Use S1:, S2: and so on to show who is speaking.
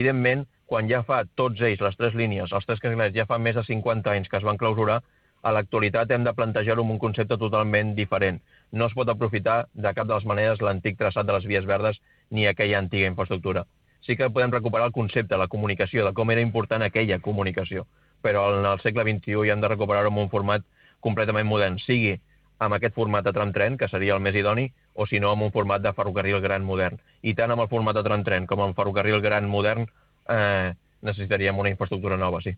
S1: Evidentment, quan ja fa tots ells, les tres línies, els tres carrilers, ja fa més de 50 anys que es van clausurar, a l'actualitat hem de plantejar-ho amb un concepte totalment diferent. No es pot aprofitar de cap de les maneres l'antic traçat de les vies verdes ni aquella antiga infraestructura. Sí que podem recuperar el concepte, la comunicació, de com era important aquella comunicació, però en el segle XXI ja hem de recuperar-ho en un format completament modern, sigui amb aquest format de tram-tren, que seria el més idoni, o si no, amb un format de ferrocarril gran modern. I tant amb el format de tram-tren com amb ferrocarril gran modern necessitaríem una infraestructura nova, sí.